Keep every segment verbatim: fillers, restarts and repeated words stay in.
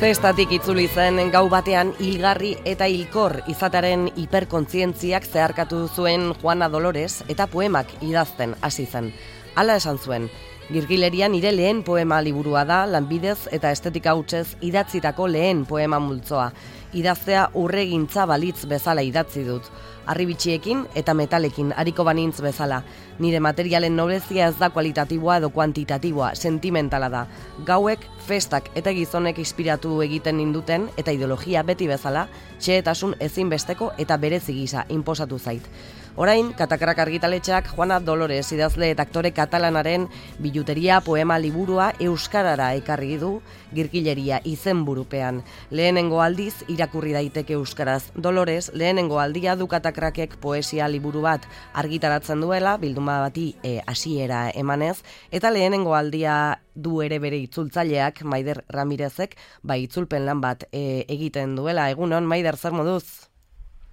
Zestatik itzuli zen gau batean hilgarri eta hilkor izataren hiperkontzientziak zeharkatu zuen Juana Dolores eta poemak idazten hasi zen. Hala esan zuen, Girgileria nire lehen poema liburua da, lanbidez eta estetika hutsez idatzitako lehen poema multzoa. Idaztea urregintza balitz bezala idatzi dut. Arribitxiekin eta metalekin ariko banintz bezala. Nire materialen noblezia ez da kualitatiboa edo kuantitatiboa, sentimentala da. Gauek, festak eta gizonek inspiratu egiten ninduten eta ideologia beti bezala, xehetasun ezinbesteko eta berezi gisa inposatu zait. Orain, Katakrak argitaletxeak Juana Dolores idazle eta aktore katalanaren biluteria poema liburua euskarara ekarri du Girgileria izenburupean. Lehenengo aldiz irakurri daiteke euskaraz. Dolores lehenengo aldia du Katakrakek poesia liburu bat argitaratzen duela, bilduma bati e, hasiera emanez, eta lehenengo aldia du ere bere itzultzaileak, Maider Ramirezek, bai itzulpen lan bat e, egiten duela. Egunon, Maider, zer moduz?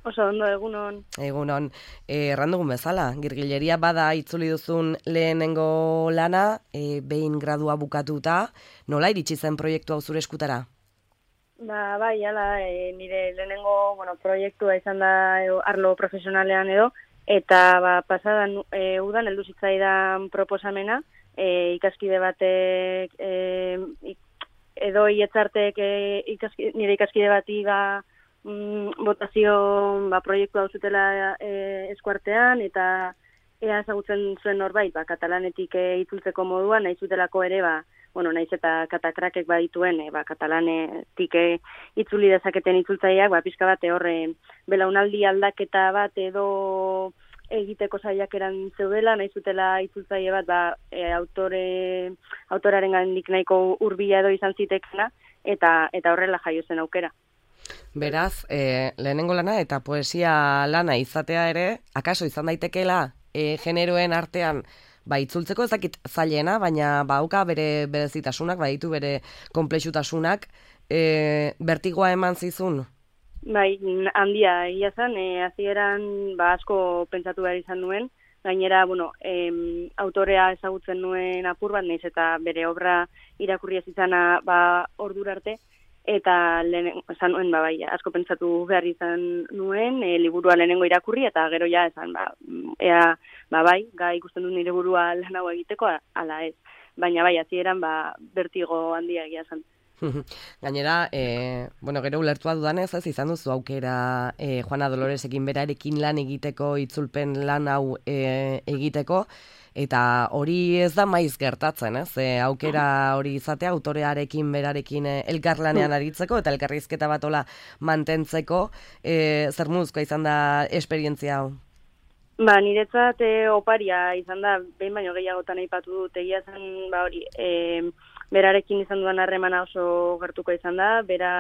Oso ondo, egunon. Egunon, e, errandugun bezala, Girgileria bada itzuli duzun lehenengo lana, e, behin gradua bukatuta, nola iritsi zen proiektu hau zure eskutara? Ba, bai, ala, e, nire lehenengo, bueno, proiektua izan da e, arlo profesionalean edo, eta ba, pasadan e, udan heldu zitzaidan proposamena, e, ikaskide batek, e, edo ietzartek e, ikaski, nire ikaskide bati ba, Mm, botazio ba, proiektu hau zutela e, eskuartean, eta ea ezagutzen zuen norbait, ba, katalanetik e, itzultzeko moduan, nahi zutelako ere, ba, bueno, nahiz eta Katakrakek badituen, e, ba, katalanetik e, itzuli dezaketen itzultzaileak, ba, pixka bat horre belaunaldi aldaketa bat edo egiteko saiakeran zeudela, nahi zutela itzultzaile bat, ba, e, autore, autoraren gandik nahiko hurbila edo izan zitekena, eta, eta horrela jaio zen aukera. Beraz, e, lehenengo lana eta poesia lana izatea ere, akaso izan daitekeela e, generoen artean, ba, itzultzeko ez dakit zailena, baina bauka bere berezitasunak, baditu bere konplexutasunak, e, bertigoa eman zizun? Bai, handia, ia zen, e, hasieran ba, asko pentsatu behar izan nuen, gainera, bueno, em, autorea ezagutzen nuen apur bat, nahiz eta bere obra irakurri ez izana ba, ordura arte, eta lehen, esan nuen, ba, bai, asko pentsatu behar izan nuen, e, liburua lehenengo irakurri, eta gero ja, esan, ba, ea, ba, bai, gai ikusten dut nire burua lan hau egiteko, ala ez. Baina, bai, hasieran ba, bertigo handia egia zen. Gainera, e, bueno, gero ulertua dudanez, ez izan duzu aukera e, Juana Doloresekin berarekin lan egiteko, itzulpen lan hau e, egiteko, eta hori ez da maiz gertatzen, ez? E, aukera hori izatea, autorearekin berarekin e, elkarlanean aritzeko, eta elkarrizketa bat hola mantentzeko, e, zer muzkoa izan da esperientzia hau? Ba, niretzat e, oparia izan da, behin baino gehiagotan aipatu dut, egia zen, ba hori, e, berarekin izan dudan harremana oso gertuko izan da, bera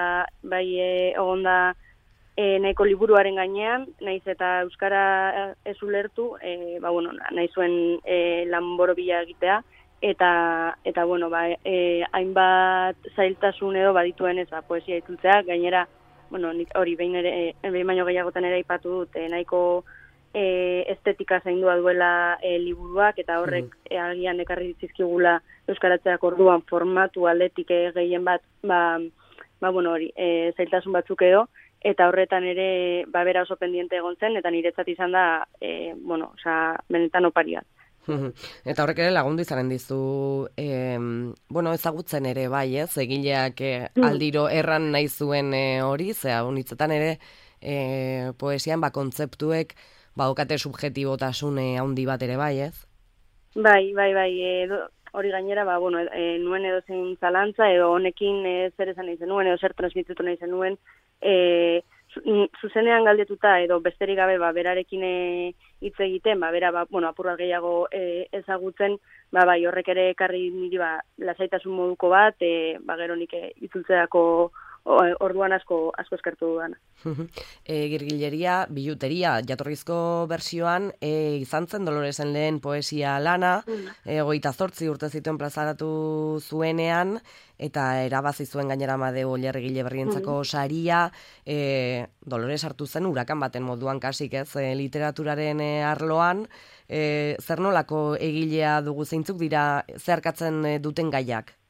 bai e, egonda e, nahiko liburuaren gainean, naiz eta euskara ez ulertu, e, ba, bueno, nahi zuen e, lan borobila egitea, eta, eta bueno, ba, e, hainbat zailtasun edo badituen ez, ba, poesia itzultzea, gainera, bueno, hori behin, ere, behin baino gehiagotan ere aipatu dut, e, nahiko E, estetika zaindua duela e, liburuak, eta horrek mm. e, agian ekarri zizkigula euskaratzeak orduan formatu aldetik e, gehien bat, ba, ba bueno hori, e, zailtasun batzuk edo, eta horretan ere ba, bera oso pendiente egon zen, eta niretzat izan da, e, bueno, oza, benetan opari bat. Eta horrek ere lagundu izanen dizu, eh, bueno, ezagutzen ere bai, ez, egileak eh, aldiro erran nahi zuen eh, hori, zera, unitzetan ere eh, poesian ba, kontzeptuek baukate subjetibotasun handi bat ere bai, ez? Bai, bai, bai, edo, hori gainera, ba, bueno, e, nuen edo zein zalantza, edo honekin e, zer esan nahi zenuen, edo zer transmititu nahi zenuen, e, zuzenean galdetuta, edo besterik gabe, ba, berarekin hitz egiten, ba, bera, ba, bueno, apur bat gehiago e, ezagutzen, ba, bai, horrek ere ekarri niri, ba, lasaitasun moduko bat, e, ba, gero nik itzultzeako orduan asko asko eskertu dudana. e, Girgileria, biluteria, jatorrizko bersioan e, izan zen Doloresen lehen poesia lana, e, hogeita zortzi urte zituen plazaratu zuenean, eta erabazi zuen gainera Amadeo Olerregile berrientzako saria, e, Dolores hartu zen urakan baten moduan kasik, ez, e, literaturaren e, arloan, e, zer nolako egilea dugu, zeintzuk dira zeharkatzen e, duten gaiak?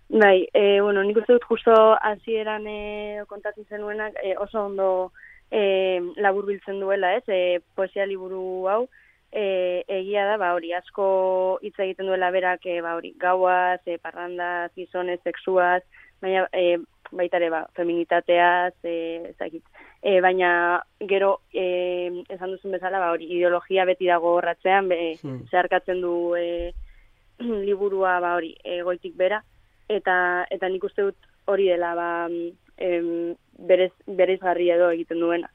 Bai, e, bueno, nik uste dut justo hasieran e, kontatzen zenuenak e, oso ondo e, laburbiltzen duela, ez? E, poesia liburu hau e, egia da, ba hori, asko hitz egiten duela berak, e, ba hori, gauaz, e, parrandaz, gizonez, sexuaz, baina e, baita ere, ba, feminitateaz, e, ezakit. E, baina gero e, esan duzun bezala, ba hori, ideologia beti dago horratzean, be, hmm. zeharkatzen du e, liburua, ba hori, e, goitik bera. Eta eta nik uste dut hori dela ba, em, berez, bereizgarri edo egiten duena.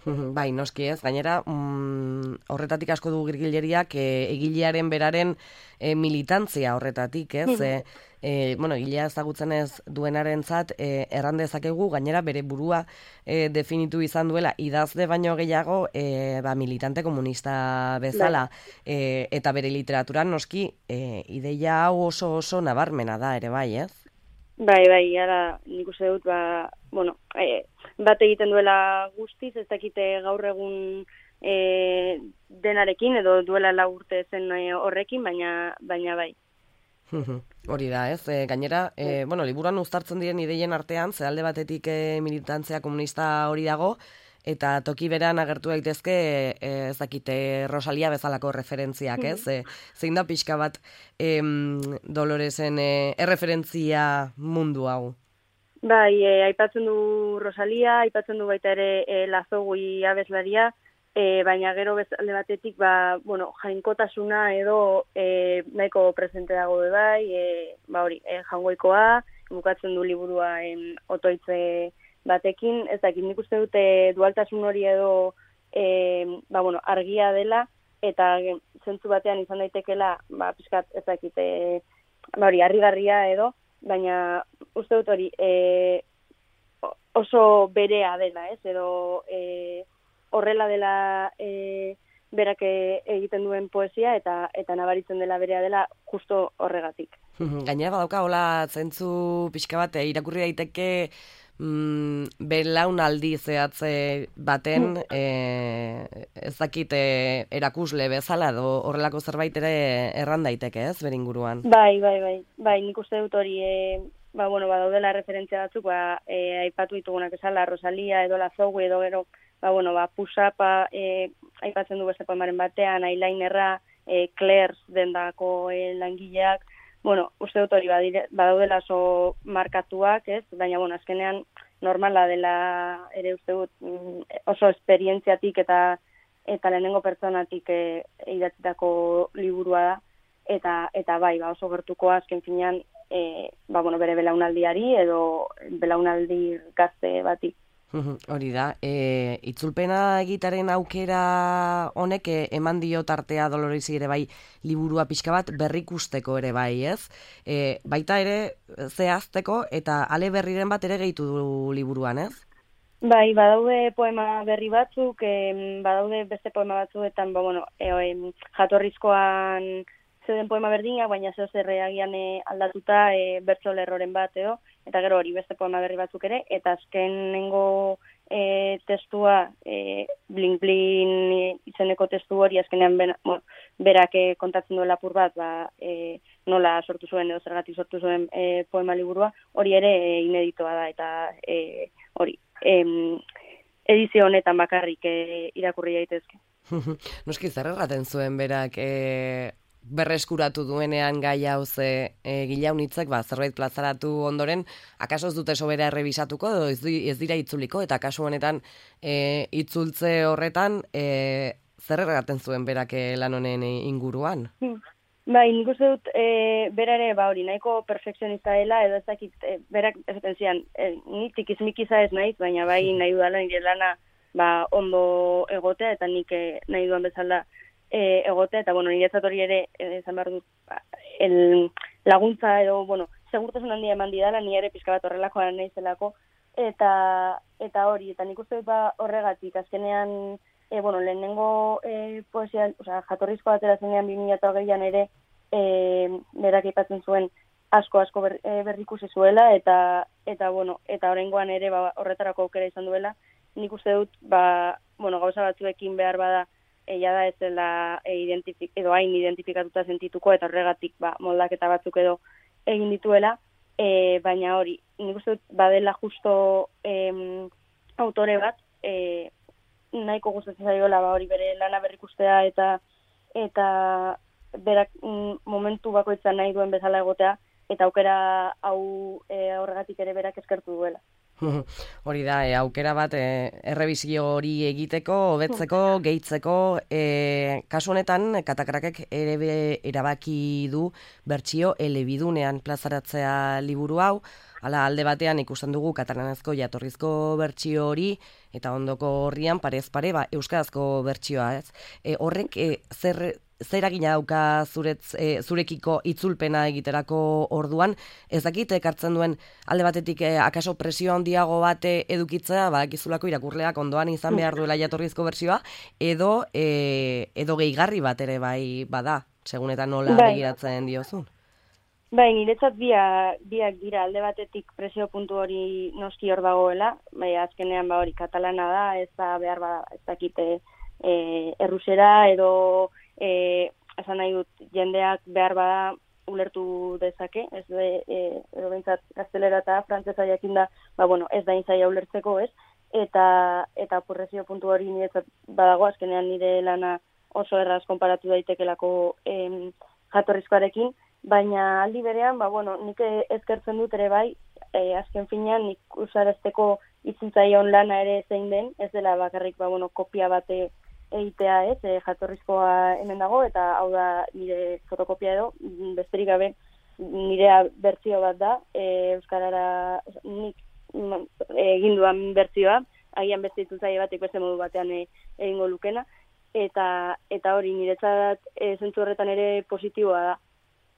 Bai, noski ez, gainera mm, horretatik asko du Girgilleriak e, egilearen beraren e, militantzia horretatik, ez? e, e, bueno, egilea ezagutzen ez duenarentzat e, erran dezakegu gainera bere burua e, definitu izan duela idazle baino gehiago e, ba, militante komunista bezala e, eta bere literaturan noski e, ideia hau oso oso nabarmena da ere bai, ez? Bai, bai, ara nik uste dut, ba, bueno, e, bat egiten duela guztiz, ez dakite gaur egun e, denarekin, edo duela lau urte zen horrekin, baina, baina bai. Hori da, ez? E, gainera, e, bueno, liburuan uztartzen diren ideien artean, ze alde batetik e, militantzia komunista hori dago, eta toki beran agertu daitezke e, ez dakite Rosalia bezalako referentziak, ez? E, zein da pixka bat em, Doloresen e, erreferentzia mundu hau? Bai, e, aipatzen du Rosalia, aipatzen du baita ere e, Lazogui abeslaria, e, baina gero bezalde batetik, ba, bueno, jainkotasuna edo e, nahiko presente dago be bai, e, ba hori, e, jangoikoa, bukatzen du liburua en otoitze batekin, ez dakit nik uste dute dualtasun hori edo e, ba, bueno, argia dela, eta zentzu batean izan daitekela, ba, pixkat ez dakit, e, ba, hori, harrigarria edo, baina uste dut hori e, oso berea dela, ez, edo e, horrela dela e, berak egiten duen poesia, eta eta nabaritzen dela berea dela justo horregatik. Gainera badauka, hola, zentzu pixka bat, irakurri daiteke Mm, belaunaldi zehatze baten e, ez dakit e, erakusle bezala edo horrelako zerbait ere erran daiteke, ez, bere inguruan? Bai, bai, bai, bai, nik uste dut hori e, ba, bueno, ba, daudela referentzia batzuk, ba, e, aipatu ditugunak esala, Rosalia edo Lazogui edo gero, ba, bueno, ba, Pusapa e, aipatzen du beste poemaren batean, Eyelinerra, e, Claire's dendako e, langileak, bueno, uste dut hori badaudela oso markatuak, ez? Baina, bueno, azkenean normala dela ere uste dut oso esperientziatik eta eta lehenengo pertsonatik e, idatzitako liburua da, eta eta bai, ba, oso gertukoa azken finean e, ba, bueno, bere belaunaldiari edo belaunaldi gazte bati. Hori da, e, itzulpena egitaren aukera honek e, eman dio tartea Doloresi ere bai liburua pixka bat berrikusteko ere bai, ez? E, baita ere zehazteko eta ale berriren bat ere gehitu du liburuan, ez? Bai, badaude poema berri batzuk, e, badaude beste poema batzuetan, ba, bueno, e, e, jatorrizkoan zeuden poema berdina, baina zeo zerreagian e, aldatuta e, bertso lerroren bat edo, eta gero hori beste poema berri batzuk ere, eta azkenengo e, testua, e, blin blin izeneko testu hori, azkenean ben, bueno, berak e, kontatzen duela apur bat, ba, e, nola sortu zuen edo zergatik sortu zuen e, poema liburua, hori ere e, ineditoa da, eta e, hori, e, edizio honetan bakarrik e, irakurri daitezke. Noski zer erraten zuen berak e, berreskuratu duenean gai hau ze e, gilaunitzek ba, zerbait plazaratu ondoren, akaso ez dute sobera errebisatuko edo ez, ez dira itzuliko, eta kasu honetan e, itzultze horretan e, zer erraten zuen berak e, lan honen inguruan? Hmm. Bai, nik uste dut e, bera ere ba, hori nahiko perfekzionista dela, edo ez dakit e, berak esaten zian, e, ni tikizmikiza ez naiz, baina bai nahi dudala nire lana ba, ondo egotea, eta nik e, nahi duan bezala E, egote, eta, bueno, niretzat hori ere, esan behar dut, el, laguntza edo, bueno, segurtasun handia eman didala, ni ere pixka bat horrelakoa nahizelako, eta eta hori, eta nik uste dut ba horregatik, azkenean, e, bueno, lehenengo e, poesia, oza, jatorrizko batera zenean bi mila hogeian ere, e, berak aipatzen zuen asko asko ber, e, berrikusi zuela, eta, eta bueno, eta oraingoan ere ba, horretarako aukera izan duela, nik uste dut, ba, bueno, gauza batzuekin behar bada, eia da ez dela e, identifik, edo hain identifikatuta sentituko, eta horregatik ba, moldaketa batzuk edo egin dituela, e, baina hori, nik uste dut badela justo em, autore bat, e, nahiko gustatzen zaiola ba hori bere lana berrikustea eta eta berak mm, momentu bakoitza nahi duen bezala egotea eta aukera hau e, horregatik ere berak eskertu duela. Hori da, e, aukera bat e, errebizio hori egiteko, hobetzeko, gehitzeko, e, kasu honetan Katakrakek ere be, erabaki du bertsio elebidunean plazaratzea liburu hau. Hala, alde batean ikusten dugu katalanezko jatorrizko bertsio hori eta ondoko horrian parez pare ba, euskarazko bertsioa, ez? E, horrek e, zer zer eragina dauka zuretz, e, zurekiko itzulpena egiterako orduan, ez dakit ekartzen duen alde batetik e, akaso presio handiago bate edukitzea, ba, gizulako irakurleak ondoan izan behar duela jatorrizko bertsioa, edo e, edo gehigarri bat ere bai bada, segun eta nola bai. begiratzen diozun. Bai, niretzat biak, biak dira alde batetik presio puntu hori noski hor dagoela, bai, azkenean ba hori katalana da, ez da behar bada, ez dakite e, errusera edo e, esan nahi dut jendeak behar bada ulertu dezake, ez de, e, edo behintzat gaztelera eta frantzesa jakin da, ba bueno, ez da intzaia ulertzeko, ez? Eta, eta presio puntu hori niretzat badago, azkenean nire lana oso erraz konparatu daitekelako em, jatorrizkoarekin, baina aldi berean, ba, bueno, nik eskertzen dut ere bai, e, azken finean nik usarazteko itzultzaion lana ere zein den, ez dela bakarrik, ba, bueno, kopia bate egitea, ez, e, jatorrizkoa hemen dago, eta hau da nire fotokopia edo, besterik gabe nirea bertsio bat da, e, euskarara nik egin duan bertsioa, agian beste itzultzaile batek beste modu batean e, egingo lukena, eta eta hori niretzat e, zentzu horretan ere positiboa da.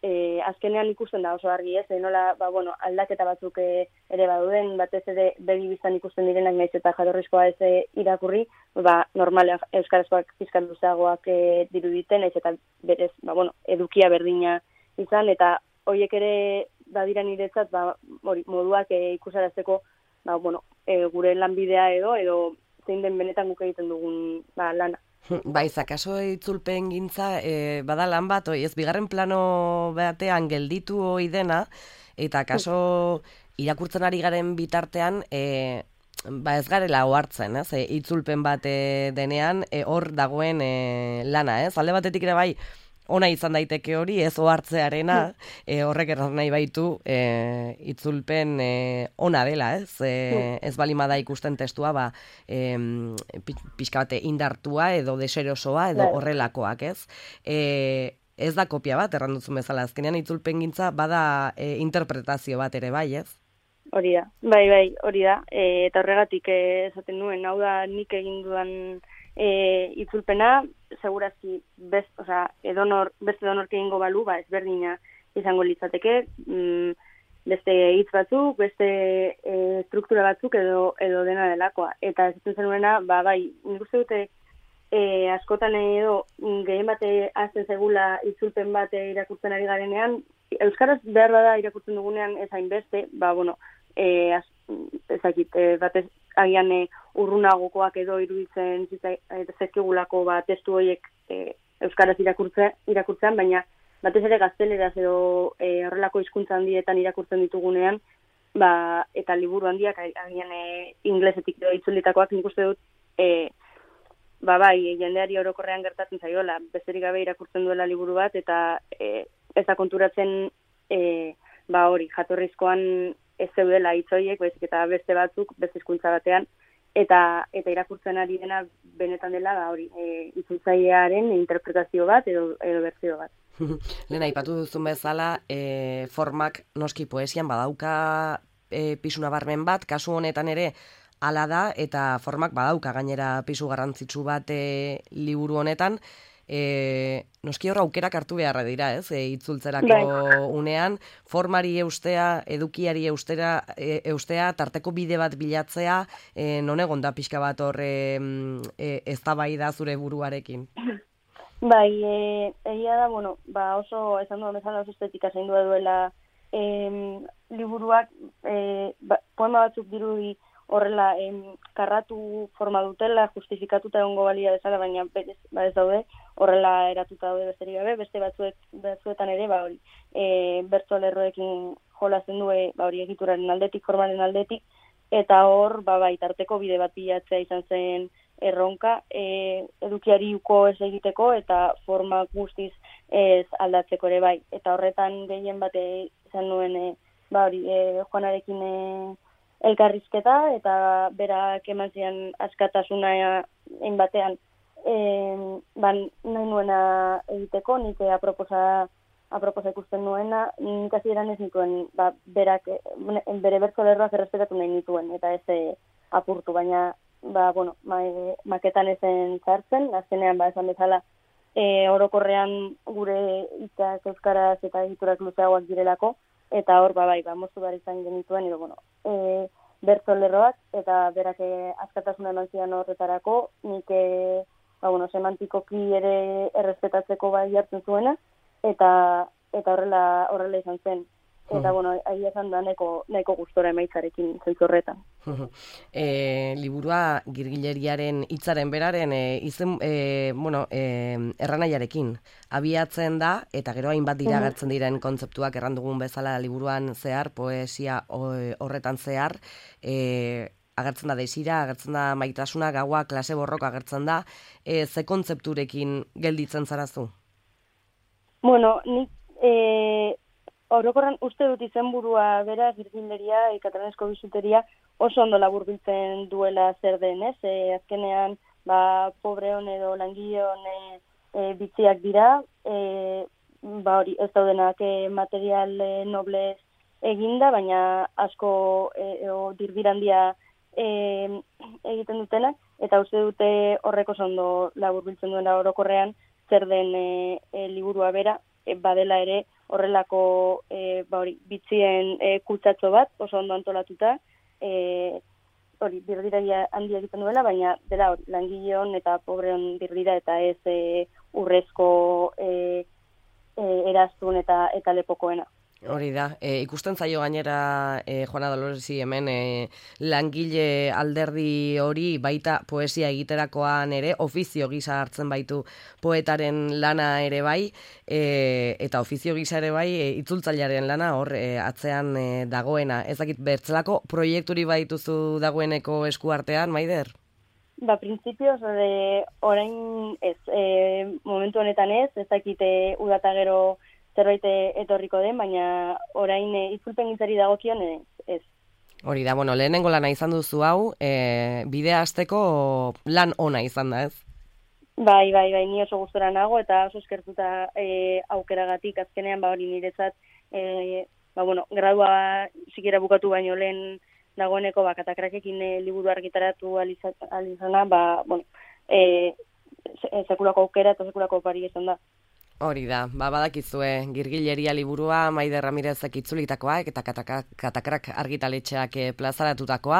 E, azkenean ikusten da oso argi, ez, e, nola, ba, bueno, aldaketa batzuk e, ere baduden, batez ere begi biztan ikusten direnak naiz eta jatorrizkoa ez e, irakurri, ba, normal euskarazkoak pizkan luzeagoak e, diruditen, naiz eta berez, ba, bueno, edukia berdina izan, eta horiek ere badira niretzat, ba, hori, moduak e, ikusarazteko, ba, bueno, e, gure lanbidea edo, edo zein den benetan guk egiten dugun ba, lana. Bai, zakaso itzulpen gintza, e, bada lan bat, oi, ez bigarren plano batean gelditu hoi dena, eta kaso irakurtzen ari garen bitartean, e, ba ez garela ohartzen, ez, e, itzulpen bat e, denean, e, hor dagoen e, lana, ez, alde batetik ere bai, ona izan daiteke hori, ez ohartzearena, e, horrek erran nahi baitu e, itzulpen e, ona dela, ez? E, ez balima da ikusten testua, ba, e, pixka bate indartua edo deserosoa edo horrelakoak, ez? E, ez da kopia bat, erran duzun bezala, azkenean itzulpen gintza bada e, interpretazio bat ere bai, ez? Hori da, bai, bai, hori da, e, eta horregatik e, esaten nuen, hau da nik egin dudan E, itzulpena, segurazki best, o sea, edonor, beste donork egingo balu, ba, ezberdina izango litzateke, mm, beste hitz batzuk, beste e, struktura batzuk edo edo dena delakoa. Eta ez zenuena, ba, bai, nik uste dute e, askotan edo gehien bate azten zegula itzulpen bate irakurtzen ari garenean, euskaraz behar bada irakurtzen dugunean ez hainbeste, ba, bueno, e, az, ezakit, e, batez agian e, urrunagokoak edo iruditzen zezkigulako ba, testu horiek e, euskaraz irakurtze, irakurtzean, baina batez ere gazteleraz edo e, horrelako hizkuntza handietan irakurtzen ditugunean, ba, eta liburu handiak agian e, inglesetik edo itzulitakoak nik uste dut, e, ba, bai, jendeari orokorrean gertatzen zaiola, besterik gabe irakurtzen duela liburu bat, eta e, ez da konturatzen e, ba, hori, jatorrizkoan ez zeudela hitzoiek, baizik eta beste batzuk, beste hizkuntza batean, eta eta irakurtzen ari dena benetan dela da hori, e, itzultzailearen interpretazio bat edo edo bertsio bat. Lehen aipatu duzun bezala, e, formak noski poesian badauka e, pisu nabarmen bat, kasu honetan ere hala da, eta formak badauka gainera pisu garrantzitsu bat e, liburu honetan. E, noski hor aukerak hartu beharra dira, ez? E, itzultzerako bai. Unean, formari eustea, edukiari eustera, e, eustea, tarteko bide bat bilatzea, e, non egon da pixka bat hor e, e, eztabaida zure buruarekin? Bai, e, egia da, bueno, ba oso, esan duan bezala oso estetika zein duela e, liburuak, e, ba, poema batzuk dirudi horrela em, karratu forma dutela, justifikatuta egongo balia bezala, baina berez, ba ez daude, horrela eratuta daude besterik gabe, beste batzuek, batzuetan ere, ba hori, e, bertso lerroekin jolasten du ba hori egituraren aldetik, formaren aldetik, eta hor ba bai tarteko bide bat bilatzea izan zen erronka, e, edukiari uko ez egiteko eta forma guztiz ez aldatzeko ere bai. Eta horretan gehien bate izan nuen e, ba hori e, Juanarekin e, elkarrizketa eta berak eman zian askatasuna egin batean e, ban nahi nuena egiteko, nik aproposa aproposa ikusten nuena, nik hasieran ez nituen ba, berak, bere bertsolerroak errespetatu nahi nituen, eta ez e, apurtu, baina ba, bueno, ma, e, maketan ezen zartzen, azkenean ba, esan bezala e, orokorrean gure hitzak euskaraz eta egiturak luzeagoak direlako, eta hor ba, bai, ba, moztu behar izan genituen, edo, bueno, e, bertsolerroak, eta berak e, askatasuna eman zidan horretarako, nik e, ba, bueno, semantikoki ere errespetatzeko bai hartzen zuena, eta eta horrela horrela izan zen. Eta, bueno, ahi esan da nahiko, nahiko gustora emaitzarekin zentzu horretan. e, liburua Girgileriaren hitzaren beraren e, izen, e, bueno, e, erranaiarekin abiatzen da, eta gero hainbat dira agertzen diren kontzeptuak erran dugun bezala liburuan zehar, poesia horretan zehar, e, agertzen da desira, agertzen da maitasuna, gaua, klase borroka agertzen da, e, ze kontzepturekin gelditzen zarazu? Bueno, nik e, orokorran uste dut izenburua bera Girgileria, e, katalanezko bizuteria oso ondo laburbiltzen duela zer den, ez? E, azkenean, ba, pobreon edo langileon e, e, bitziak dira, e, ba hori ez daudenak e, material e, noblez eginda, baina asko e, o, dirdirandia e, egiten dutenak, eta uste dute horreko oso ondo laburbiltzen duena orokorrean, zer den e, e, liburua bera, e, badela ere horrelako e, ba hori, bitzien e, kutsatxo bat, oso ondo antolatuta, e, hori, dirdiraia handia egiten duela, baina dela hori, langileon eta pobreon dirdira eta ez e, urrezko e, e, eraztun eta, eta lepokoena. Hori da, e, ikusten zaio gainera e, Juana Doloresi hemen e, langile alderdi hori baita poesia egiterakoan ere, ofizio gisa hartzen baitu poetaren lana ere bai, e, eta ofizio gisa ere bai e, itzultzailearen lana hor e, atzean e, dagoena. Ez dakit bertzelako proiekturi baituzu dagoeneko eskuartean, Maider? Ba, printzipioz, orain ez, e, momentu honetan ez, ez dakite udata gero zerbait etorriko den, baina orain e, itzulpen gintzari dagokion ez, ez. Hori da, bueno, lehenengo lana izan duzu hau, e, bidea hasteko lan ona izan da, ez? Bai, bai, bai, ni oso gustora nago eta oso eskertuta e, aukeragatik azkenean ba hori niretzat e, ba bueno, gradua sikiera bukatu baino lehen dagoeneko ba Katakrakekin e, liburu argitaratu alizana, ba bueno, e, sekulako aukera eta sekulako opari izan da. Hori da, ba, badakizue, Girgileria liburua, Maider Ramirezek itzulitakoa, eta Katakrak argitaletxeak plazaratutakoa,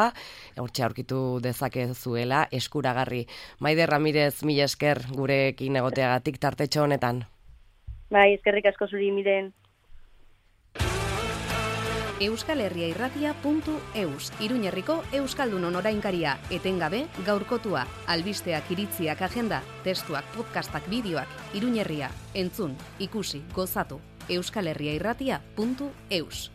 hortxe aurkitu dezakezuela, eskuragarri. Maider Ramirez, mila esker gurekin egoteagatik tartetxo honetan. Bai, eskerrik asko zuri miren. euskal herria irratia puntu eus, Iruñerriko Euskaldunon orainkaria, etengabe gaurkotua, albisteak, iritziak, agenda, testuak, podcastak, bideoak, Iruñerria, entzun, ikusi, gozatu, euskal herria irratia puntu eus.